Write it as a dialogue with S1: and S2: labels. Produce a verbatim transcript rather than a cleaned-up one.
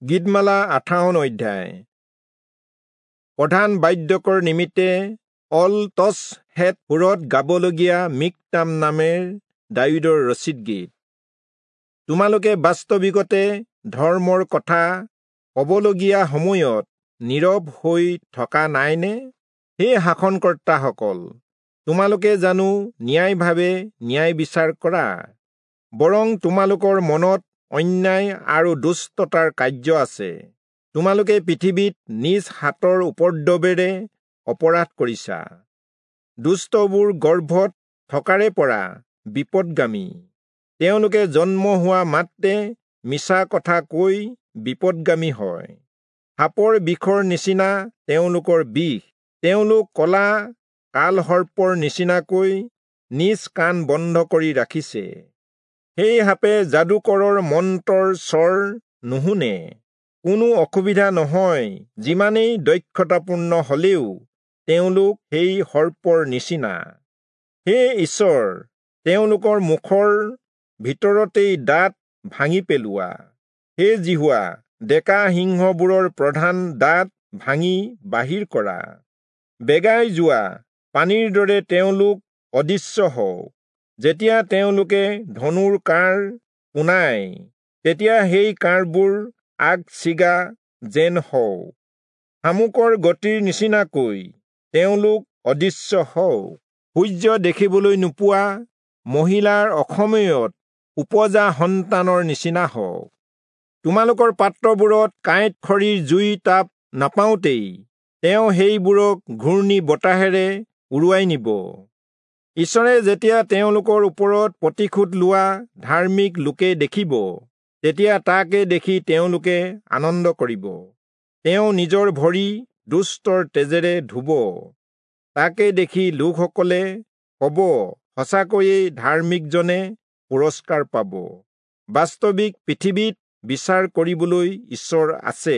S1: গীতমালা আঠাৱন অধ্যায়। প্ৰধান বাদ্যকৰ নিমিত্তে অল তচ হেত সুৰত গাবলগীয়া মিকতাম নামেৰ দায়ূদৰ ৰচিত গীত। তোমালোকে বাস্তৱিকতে ধৰ্মৰ কথা ক'বলগীয়া সময়ত নীৰৱ হৈ থকা নাইনে? হে শাসনকৰ্তাসকল, তোমালোকে জানো ন্যায়ভাৱে ন্যায় বিচাৰ কৰা? বৰং তোমালোকৰ মনত অন্যায় আৰু দুষ্টতাৰ কাৰ্য আছে। তোমালোকে পৃথিৱীত নিজ হাতৰ উপদ্ৰৱেৰে অপৰাধ কৰিছা। দুষ্টবোৰ গৰ্ভত থকাৰে পৰা বিপদগামী। তেওঁলোকে জন্ম হোৱা মাত্ৰে মিছা কথা কৈ বিপদগামী হয়। সাপৰ বিষৰ নিচিনা তেওঁলোকৰ বিষ। তেওঁলোক কলা কালসৰ্পৰ নিচিনাকৈ নিজ কাণ বন্ধ কৰি ৰাখিছে। সেই সাপে যাদুকৰৰ মন্ত্ৰৰ স্বৰ নুশুনে। কোনো অসুবিধা নহয়, যিমানেই দক্ষতাপূৰ্ণ হলেও তেওঁলোক সেই সৰ্পৰ নিচিনা। হে ঈশ্বৰ, তেওঁলোকৰ মুখৰ ভিতৰতেই দাঁত ভাঙি পেলোৱা। হে যিহোৱা, ডেকা সিংহবোৰৰ প্ৰধান দাঁত ভাঙি বাহিৰ কৰা। বেগাই যোৱা পানীৰ দৰে তেওঁলোক অদৃশ্য হওক। যেতিয়া তেওঁলোকে ধনুৰ কাঁড় পোনায়, তেতিয়া সেই কাঁড়বোৰ আগ ছিগা যেন হওক। শামুকৰ গতিৰ নিচিনাকৈ তেওঁলোক অদৃশ্য হওক। সূৰ্য দেখিবলৈ নোপোৱা মহিলাৰ অসময়ত উপজা সন্তানৰ নিচিনা হওক। তোমালোকৰ পাত্ৰবোৰত কাঁইট খৰিৰ জুই তাপ নাপাওঁতেই তেওঁ সেইবোৰক ঘূৰ্ণী বতাহেৰে উৰুৱাই নিব। ঈশ্বৰে যেতিয়া তেওঁলোকৰ ওপৰত প্ৰতিশোধ লোৱা ধাৰ্মিক লোকে দেখিব, তেতিয়া তাকে দেখি তেওঁলোকে আনন্দ কৰিব। তেওঁ নিজৰ ভৰি দুষ্টৰ তেজেৰে ধুব। তাকে দেখি লোকসকলে ক'ব, সঁচাকৈয়ে ধাৰ্মিকজনে পুৰস্কাৰ পাব। বাস্তৱিক পৃথিৱীত বিচাৰ কৰিবলৈ ঈশ্বৰ আছে।